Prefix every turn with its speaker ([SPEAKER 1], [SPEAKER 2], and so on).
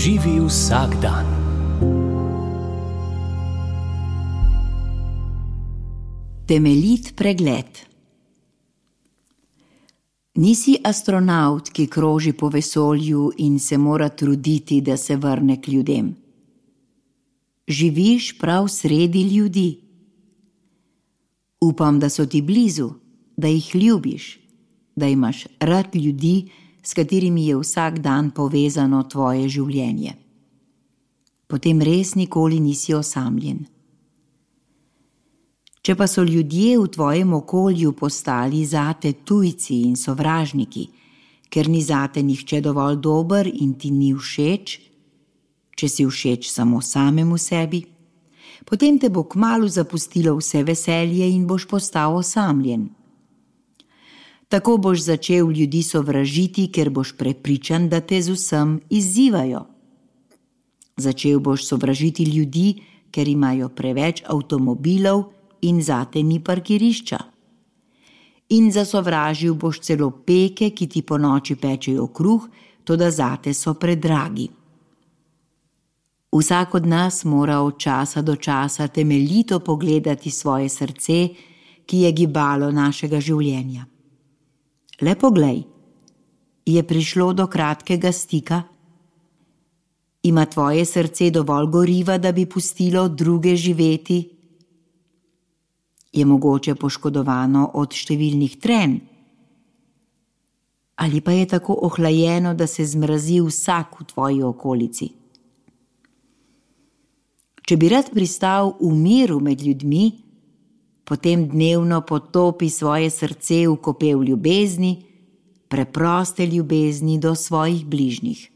[SPEAKER 1] Živi vsak dan.
[SPEAKER 2] Temeljit pregled. Nisi astronavt, ki kroži po vesolju in se mora truditi, da se vrne k ljudem. Živiš prav sredi ljudi. Upam, da so ti blizu, da jih ljubiš, da imaš rad ljudi, s katerimi je vsak dan povezano tvoje življenje. Potem res nikoli nisi osamljen. Če pa so ljudje v tvojem okolju postali zate tujci in sovražniki, ker ni zate nihče dovolj dober in ti ni všeč, če si všeč samo samemu sebi, potem te bo kmalu zapustilo vse veselje in boš postal osamljen. Tako boš začel ljudi sovražiti, ker boš prepričan, da te z vsem izzivajo. Začel boš sovražiti ljudi, ker imajo preveč avtomobilov in zate ni parkirišča. In zasovražil boš celo peke, ki ti po noči pečejo kruh, toda zate so predragi. Vsak od nas mora od časa do časa temeljito pogledati svoje srce, ki je gibalo našega življenja. Le poglej, je prišlo do kratkega stika? Ima tvoje srce dovolj goriva, da bi pustilo druge živeti? Je mogoče poškodovano od številnih trenj? Ali pa je tako ohlajeno, da se zmrazi vsak v tvoji okolici? Če bi rad pristal v miru med ljudmi, potem dnevno potopi svoje srce v kopel ljubezni, preproste ljubezni do svojih bližnjih.